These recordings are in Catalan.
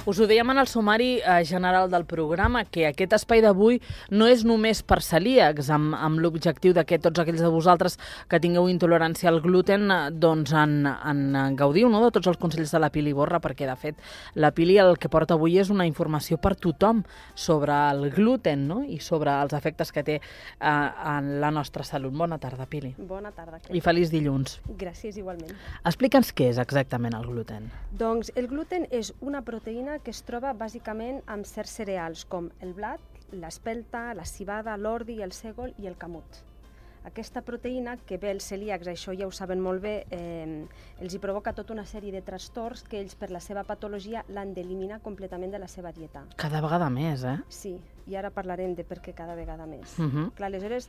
Us ho dèiem en el sumari general del programa, que aquest espai d'avui no és només per celíacs, amb l'objectiu de que tots aquells de vosaltres que tingueu intolerància al gluten doncs en gaudiu, no?, de tots els consells de la Pili Borra, perquè de fet la Pili el que porta avui és una informació per tothom sobre el gluten, no?, i sobre els efectes que té en la nostra salut. Bona tarda, Pili. Bona tarda. I feliç dilluns. Gràcies, igualment. Explica'ns què és exactament el gluten. Doncs el gluten és una proteïna que es troba bàsicament amb certs cereals com el blat, l'espelta, la civada, l'ordi, el sègol i el camut. Aquesta proteïna, que bé els celíacs, això ja ho saben molt bé, els hi provoca tota una sèrie de trastorns que ells per la seva patologia l'han d'eliminar completament de la seva dieta. Cada vegada més, eh? Sí, i ara parlarem de per què cada vegada més. Clar, aleshores,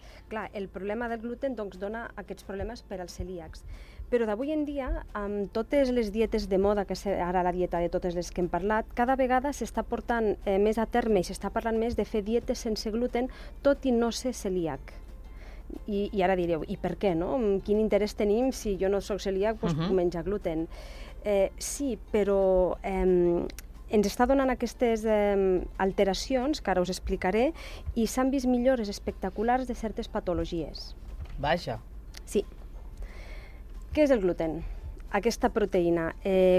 el problema del gluten doncs, dona aquests problemes per als celíacs. Però d'avui en dia, amb totes les dietes de moda, que ara la dieta de totes les que hem parlat, cada vegada s'està portant més a terme i s'està parlant més de fer dietes sense gluten, tot i no ser celíac. I ara direu, i per què, no? Quin interès tenim si jo no soc celíac, doncs puc menjar gluten? Sí, però ens està donant aquestes alteracions, que ara us explicaré, i s'han vist millores espectaculars de certes patologies. Vaja. Sí. Què és el gluten? Aquesta proteïna.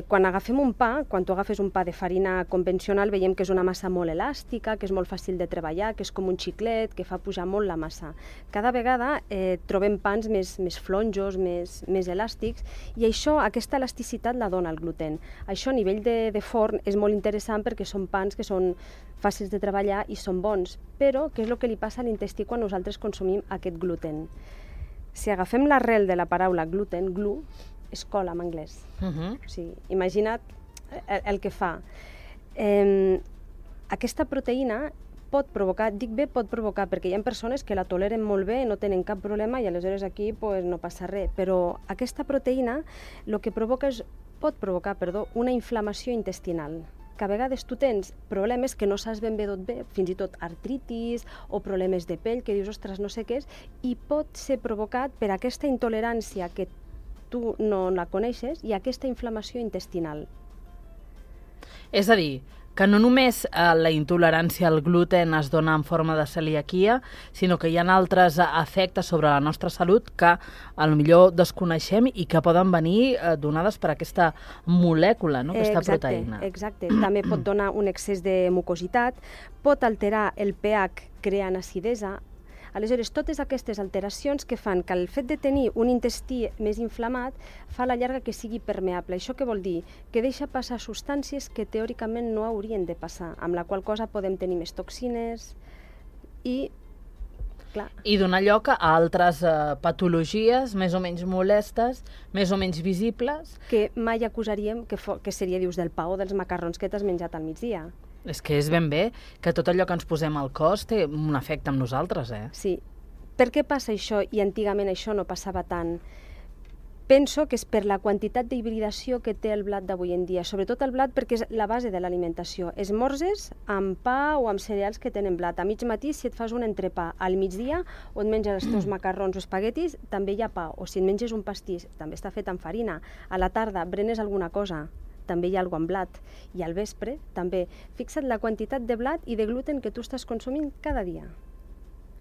Quan agafem un pa, quan tu agafes un pa de farina convencional, veiem que és una massa molt elàstica, que és molt fàcil de treballar, que és com un xiclet, que fa pujar molt la massa. Cada vegada trobem pans més flonjos, més elàstics, i això, aquesta elasticitat la dona el gluten. Això a nivell de forn és molt interessant perquè són pans que són fàcils de treballar i són bons. Però què és el que li passa a l'intestí quan nosaltres consumim aquest gluten? Si agafem l'arrel de la paraula gluten, glu, és cola en anglès. O sigui, imagina't el que fa. Aquesta proteïna pot provocar, dic bé pot provocar, perquè hi ha persones que la toleren molt bé, no tenen cap problema i aleshores aquí no passa res, però aquesta proteïna el que pot provocar una inflamació intestinal, que a vegades tu tens problemes que no saps ben bé d'on ve, fins i tot artritis o problemes de pell, que dius, ostres, no sé què és, i pot ser provocat per aquesta intolerància que tu no la coneixes i aquesta inflamació intestinal. És a dir, que no només la intolerància al gluten es dona en forma de celiaquia, sinó que hi ha altres efectes sobre la nostra salut que potser desconeixem i que poden venir donades per aquesta molècula, no? Aquesta proteïna. Exacte. També pot donar un excés de mucositat, pot alterar el pH creant acidesa. Aleshores, totes aquestes alteracions que fan que el fet de tenir un intestí més inflamat fa a la llarga que sigui permeable. Això què vol dir? Que deixa passar substàncies que teòricament no haurien de passar, amb la qual cosa podem tenir més toxines i... Clar. I donar lloc a altres patologies més o menys molestes, més o menys visibles. Que mai acusaríem que seria, dius, del pa o dels macarrons que t'has menjat al migdia. És que és ben bé que tot allò que ens posem al cos té un efecte amb nosaltres, eh? Sí. Per què passa això i antigament això no passava tant? Penso que és per la quantitat d'hibridació que té el blat d'avui en dia, sobretot el blat perquè és la base de l'alimentació. Esmorzes amb pa o amb cereals que tenen blat. A mig matí, si et fas un entrepà, al migdia, on menges els teus macarrons o espaguetis, també hi ha pa. O si et menges un pastís, també està fet amb farina. A la tarda, berenes alguna cosa, també hi ha alguna cosa amb blat. I al vespre, també. Fixa't la quantitat de blat i de gluten que tu estàs consumint cada dia.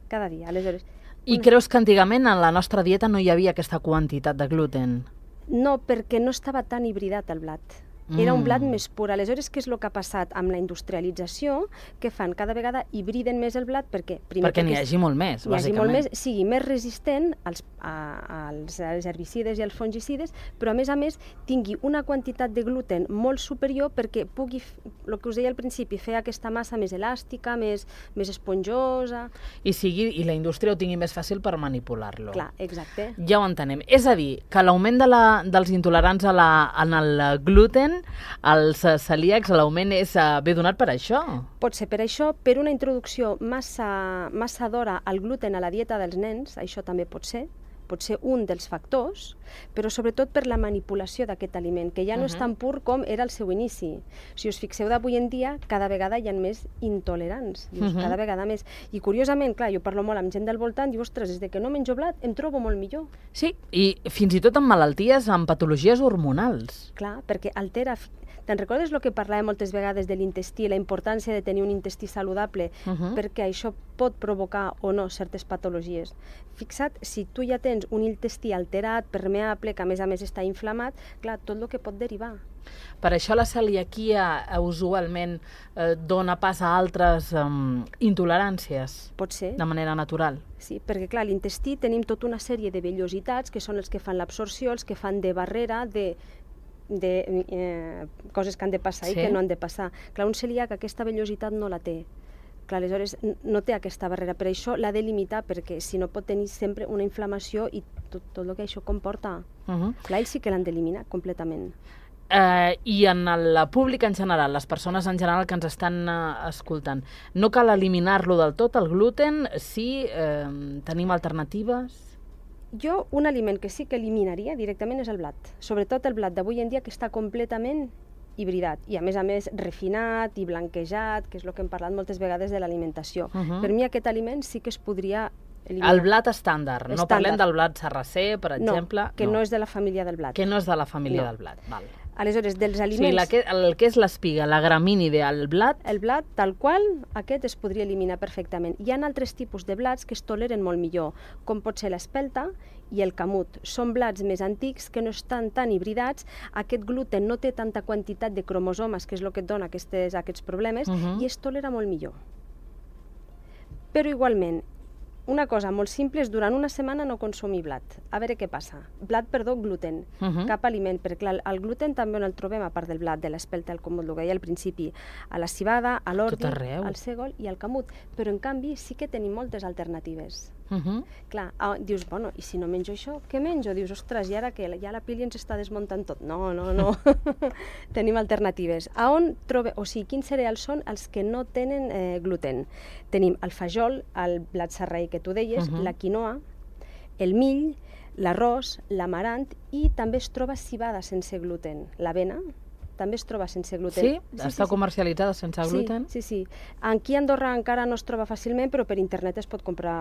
Cada dia. Aleshores... I creus que antigament en la nostra dieta no hi havia aquesta quantitat de gluten? No, perquè no estava tan hibridat el blat. Era un blat més pur. Aleshores, què és el que ha passat amb la industrialització? Que fan? Cada vegada hibriden més el blat perquè... Perquè n'hi hagi molt més, bàsicament. N'hi hagi molt més, sigui més resistent als herbicides i als fungicides, però a més tingui una quantitat de gluten molt superior perquè pugui, el que us deia al principi, fer aquesta massa més elàstica, més esponjosa... I la indústria ho tingui més fàcil per manipular-lo. Clar, exacte. Ja ho entenem. És a dir, que l'augment dels intolerants en el gluten, els celíacs, l'augment ve donat per això? Pot ser per això, per una introducció massa d'hora al gluten a la dieta dels nens, això també pot ser, pot ser un dels factors, però sobretot per la manipulació d'aquest aliment, que ja no és tan pur com era al seu inici. Si us fixeu d'avui en dia, cada vegada hi ha més intolerants, cada vegada més. I curiosament, clar, jo parlo molt amb gent del voltant, diu, ostres, des que no menjo blat em trobo molt millor. Sí, i fins i tot amb malalties, amb patologies hormonals. Clar, perquè altera... Te'n recordes el que parlàvem moltes vegades de l'intestí, la importància de tenir un intestí saludable, perquè això pot provocar o no certes patologies. Fixa't, si tu ja tens un intestí alterat, permeable, que a més està inflamat, clar, tot el que pot derivar. Per això la celiaquia usualment dona pas a altres intoleràncies. Pot ser. De manera natural. Sí, perquè clar, a l'intestí tenim tota una sèrie de vellositats que són els que fan l'absorció, els que fan de barrera, de coses que han de passar i que no han de passar. Clar, un celíac aquesta vellositat no la té. Clar, aleshores no té aquesta barrera, per això l'ha de limitar, perquè si no pot tenir sempre una inflamació i tot el que això comporta. Clar, ells sí que l'han d'eliminar completament. I en el públic en general, les persones en general que ens estan escoltant, no cal eliminar-lo del tot, el gluten, si tenim alternatives? Jo, un aliment que sí que eliminaria directament és el blat. Sobretot el blat d'avui en dia, que està completament hibridat i, a més, refinat i blanquejat, que és el que hem parlat moltes vegades de l'alimentació. Per mi aquest aliment sí que es podria eliminar. El blat estàndard. No parlem del blat sarracè, per exemple. No, que no és de la família del blat. Que no és de la família del blat, val. Aleshores, dels aliments... O sigui, el que és l'espiga, la gramínide, el blat... El blat, tal qual, aquest es podria eliminar perfectament. Hi ha altres tipus de blats que es toleren molt millor, com pot ser l'espelta i el camut. Són blats més antics que no estan tan hibridats, aquest gluten no té tanta quantitat de cromosomes, que és el que et dona aquests problemes, i es tolera molt millor. Però igualment, una cosa molt simple és durant una setmana no consumir blat. A veure què passa. Gluten. Cap aliment, perquè clar, el gluten també on el trobem, a part del blat, de l'espelta, el comut, el que deia al principi, a la cibada, a l'ordi, al sègol i al camut. Però en canvi sí que tenim moltes alternatives. Clar, dius, bueno, i si no menjo això, què menjo? Dius, ostres, i ara què? Ja la pili ens està desmuntant tot. No. Tenim alternatives. O sigui, quins cereals són els que no tenen gluten? Tenim el fajol, el blat sarraí que tu deies, la quinoa, el mill, l'arròs, l'amarant, i també es troba cibada sense gluten. L'avena també es troba sense gluten. Sí? Està comercialitzada sense gluten? Sí. Aquí a Andorra encara no es troba fàcilment, però per internet es pot comprar...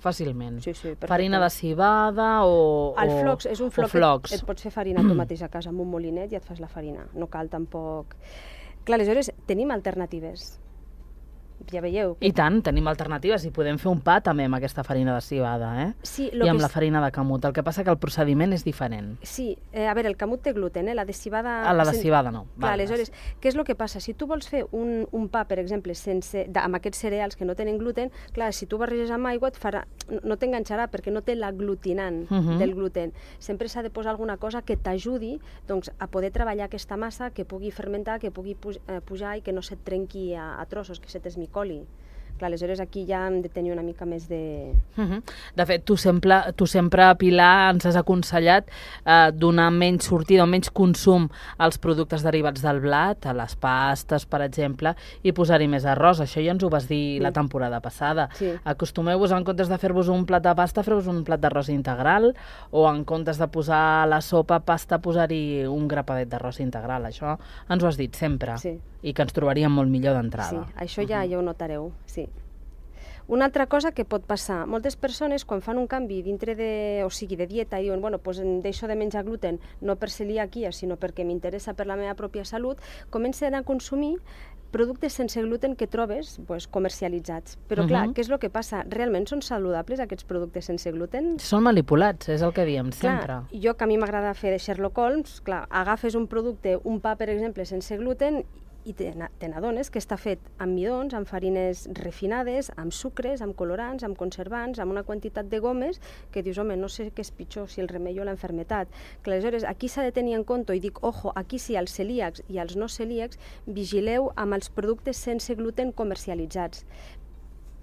Fàcilment? Sí, farina de cibada o el flocs, és un floc flocs. Et pots fer farina tu mateix a casa amb un molinet i et fas la farina. No cal tampoc... Clar, aleshores tenim alternatives. Ja veieu. I tant, tenim alternatives i podem fer un pa també amb aquesta farina de cibada, Sí, i amb la farina de camut. El que passa que el procediment és diferent. Sí, a veure, el camut té gluten, la de cibada... La de cibada no. Clar, aleshores, què és el que passa? Si tu vols fer un pa, per exemple, amb aquests cereals que no tenen gluten, clar, si tu barreges amb aigua no t'enganxarà perquè no té l'aglutinant del gluten. Sempre s'ha de posar alguna cosa que t'ajudi a poder treballar aquesta massa, que pugui fermentar, que pugui pujar i que no se't trenqui a trossos, que se t'esmicoli. Clar, aleshores aquí ja hem de tenir una mica més de... De fet, tu sempre, Pilar, ens has aconsellat donar menys sortida o menys consum als productes derivats del blat, a les pastes, per exemple, i posar-hi més arròs. Això ja ens ho vas dir la temporada passada. Acostumeu-vos, en comptes de fer-vos un plat de pasta, fer-vos un plat d'arròs integral, o en comptes de posar a la sopa pasta, posar-hi un grapadet d'arròs integral. Això ens ho has dit sempre. I que ens trobaríem molt millor d'entrada. Sí, això ja ho notareu, sí. Una altra cosa que pot passar, moltes persones quan fan un canvi dintre de dieta i diuen, bueno, doncs deixo de menjar gluten, no per celiaquia, sinó perquè m'interessa per la meva pròpia salut, comencen a consumir productes sense gluten que trobes comercialitzats. Però clar, què és el que passa? Realment són saludables aquests productes sense gluten? Són manipulats, és el que diem sempre. Clar, jo que a mi m'agrada fer de Sherlock Holmes, clar, agafes un producte, un pa, per exemple, sense gluten, i te n'adones que està fet amb midons, amb farines refinades, amb sucres, amb colorants, amb conservants, amb una quantitat de gomes que dius, home, no sé què és pitjor, si el remei o la enfermetat. Que aleshores aquí s'ha de tenir en compte, i dic, ojo, aquí sí, els celíacs i els no celíacs, vigileu amb els productes sense gluten comercialitzats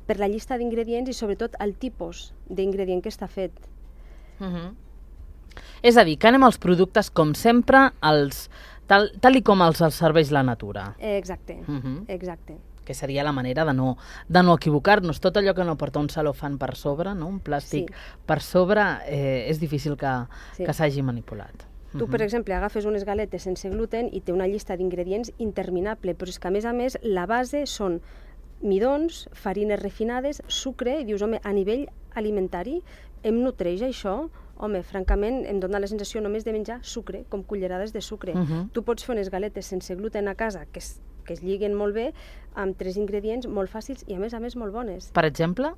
per la llista d'ingredients i sobretot el tipus d'ingredient que està fet. És a dir, que anem als productes com sempre, tal i com els serveix la natura. Exacte. que seria la manera de no equivocar-nos. Tot allò que no porta un celofan per sobre, no? Un plàstic per sobre, és difícil que s'hagi manipulat. Tu, per exemple, agafes unes galetes sense gluten i té una llista d'ingredients interminable, però és que, a més, la base són midons, farines refinades, sucre, i dius, home, a nivell alimentari em nutreix això? Home, francament, em dona la sensació només de menjar sucre, com cullerades de sucre. Tu pots fer unes galetes sense gluten a casa que es lliguen molt bé, amb 3 ingredients molt fàcils i, a més, molt bones. Per exemple?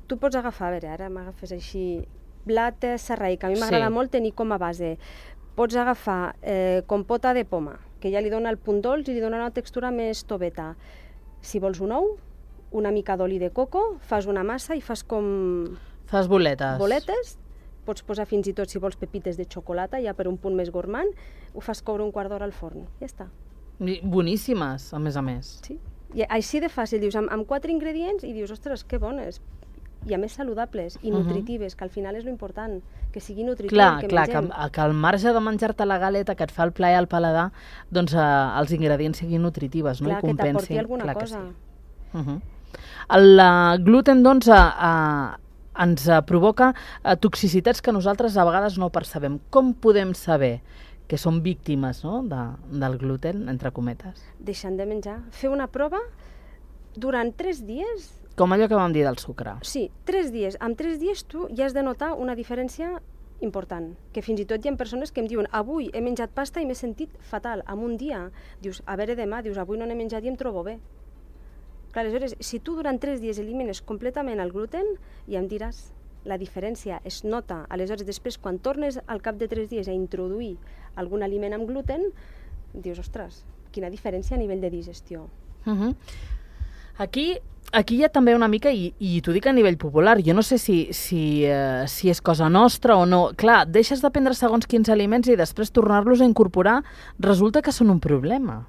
Tu pots agafar, a veure, ara m'agafes així, blat sarraí, que a mi m'agrada molt tenir com a base. Pots agafar compota de poma, que ja li dona el punt dolç i li dona una textura més toveta. Si vols un ou, una mica d'oli de coco, fas una massa i fas com... Fas boletes. Boletes. Pots posar fins i tot, si vols, pepites de xocolata, ja per un punt més gourmand, ho fas coure un quart d'hora al forn. Ja està. Boníssimes, a més. Sí. I així de fàcil, dius, amb 4 ingredients i dius, ostres, que bones. I a més saludables i nutritives, que al final és l'important, que sigui nutritiu el que mengem. Que al marge de menjar-te la galeta que et fa el plaer al paladar, doncs els ingredients siguin nutritives, no? Clar, que t'aporti alguna cosa. El gluten, doncs, ens provoca toxicitats que nosaltres a vegades no percebem. Com podem saber que som víctimes, no, del gluten, entre cometes? Deixant de menjar. Fer una prova durant 3 dies... Com allò que vam dir del sucre. Sí, 3 dies. En 3 dies tu ja has de notar una diferència important, que fins i tot hi ha persones que em diuen avui he menjat pasta i m'he sentit fatal, en un dia. Dius, a veure demà, dius, avui no n'he menjat i em trobo bé. Clar, aleshores, si tu durant 3 dies elimines completament el gluten, ja em diràs, la diferència es nota. Aleshores, després, quan tornes al cap de 3 dies a introduir algun aliment amb gluten, dius, ostres, quina diferència a nivell de digestió. Aquí hi ha també una mica, i t'ho dic a nivell popular, jo no sé si és cosa nostra o no. Clar, deixes de prendre segons quins aliments i després tornar-los a incorporar resulta que són un problema.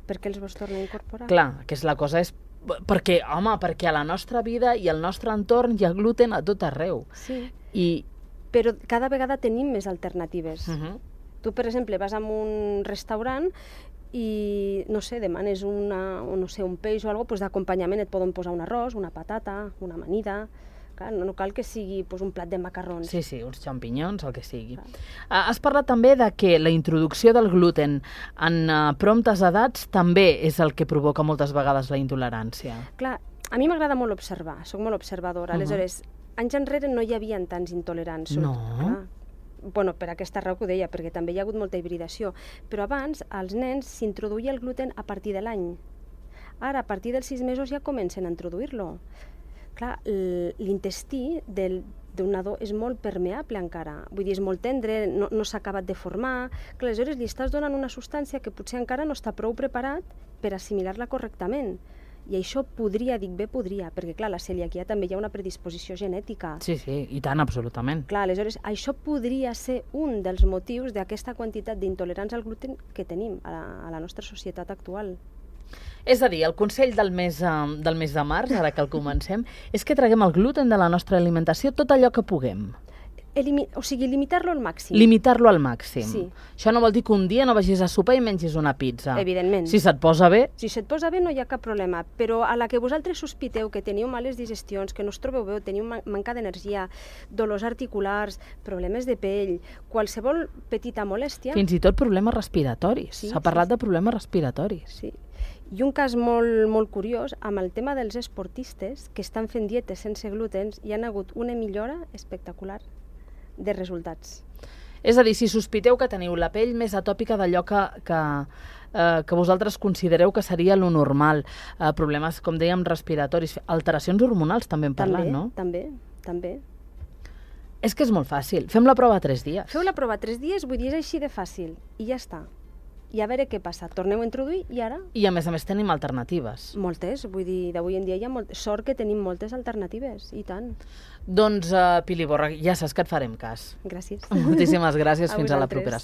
Per què els vols tornar a incorporar? Clar, que la cosa és... Perquè a la nostra vida i al nostre entorn hi ha gluten a tot arreu. Sí, però cada vegada tenim més alternatives. Tu, per exemple, vas a un restaurant i, no sé, demanes un peix o alguna cosa, d'acompanyament et poden posar un arròs, una patata, una amanida... Clar, no cal que sigui un plat de macarrons. Sí, uns xampinyons, el que sigui. Has parlat també de que la introducció del gluten en promptes edats també és el que provoca moltes vegades la intolerància. Clar, a mi m'agrada molt observar, soc molt observadora. Aleshores, anys enrere no hi havia tants intolerants. No? Bueno, per aquesta raó que ho deia, perquè també hi ha hagut molta hibridació. Però abans, als nens s'introduïa el gluten a partir de l'any. Ara, a partir dels 6 mesos ja comencen a introduir-lo. Clar, l'intestí d'un nadó és molt permeable encara, vull dir, és molt tendre, no s'ha acabat de formar, que aleshores li estàs donant una substància que potser encara no està prou preparat per assimilar-la correctament. I això podria, perquè clar, la celiaquia també hi ha una predisposició genètica. Sí, i tant, absolutament. Clar, aleshores, això podria ser un dels motius d'aquesta quantitat d'intolerants al gluten que tenim a la nostra societat actual. És a dir, el consell del mes de març, ara que el comencem, és que traguem el gluten de la nostra alimentació tot allò que puguem. O sigui, limitar-lo al màxim. Limitar-lo al màxim. Sí. Això no vol dir que un dia no vagis a sopar i mengis una pizza. Evidentment. Si se't posa bé... Si se't posa bé no hi ha cap problema, però a la que vosaltres sospiteu que teniu males digestions, que no us trobeu bé, teniu manca d'energia, dolors articulars, problemes de pell, qualsevol petita molèstia... Fins i tot problemes respiratoris. S'ha parlat de problemes respiratoris. Sí. I un cas molt curiós, amb el tema dels esportistes que estan fent dietes sense glutens, hi ha hagut una millora espectacular de resultats. És a dir, si sospiteu que teniu la pell més atòpica d'allò que vosaltres considereu que seria lo normal, problemes, com dèiem, respiratoris, alteracions hormonals també hem parlat, no? També. És que és molt fàcil. Fem la prova 3 dies. Feu la prova 3 dies, vull dir, és així de fàcil, i ja està. I a veure què passa. Torneu a introduir i ara... I a més tenim alternatives. Moltes, vull dir, d'avui en dia hi ha sort que tenim moltes alternatives, i tant. Doncs, Pili Borra, ja saps que et farem cas. Gràcies. Moltíssimes gràcies, fins a la propera.